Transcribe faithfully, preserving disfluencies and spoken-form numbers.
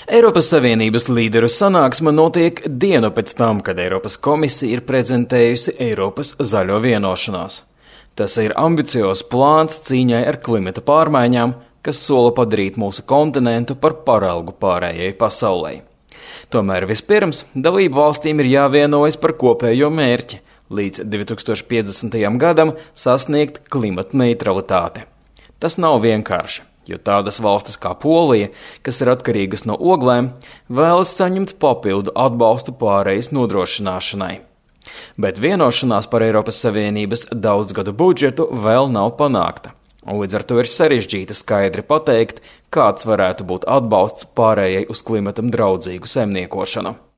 Eiropas Savienības līderu sanāksme notiek dienu pēc tam, kad Eiropas komisija ir prezentējusi Eiropas zaļo vienošanās. Tas ir ambiciozs plāns cīņai ar klimata pārmaiņām, kas sola padarīt mūsu kontinentu par paraugu pārējai pasaulē. Tomēr vispirms dalību valstīm ir jāvienojas par kopējo mērķi līdz divi tūkstoši piecdesmitajam gadam sasniegt klimata neutralitāti. Tas nav vienkārši, jo tādas valstis kā Polija, kas ir atkarīgas no oglēm, vēlas saņemt papildu atbalstu pārejas nodrošināšanai. Bet vienošanās par Eiropas Savienības daudzgadu budžetu vēl nav panākta, un līdz ar to ir sarežģīti skaidri pateikt, kāds varētu būt atbalsts pārējai uz klimatam draudzīgu saimniekošanu.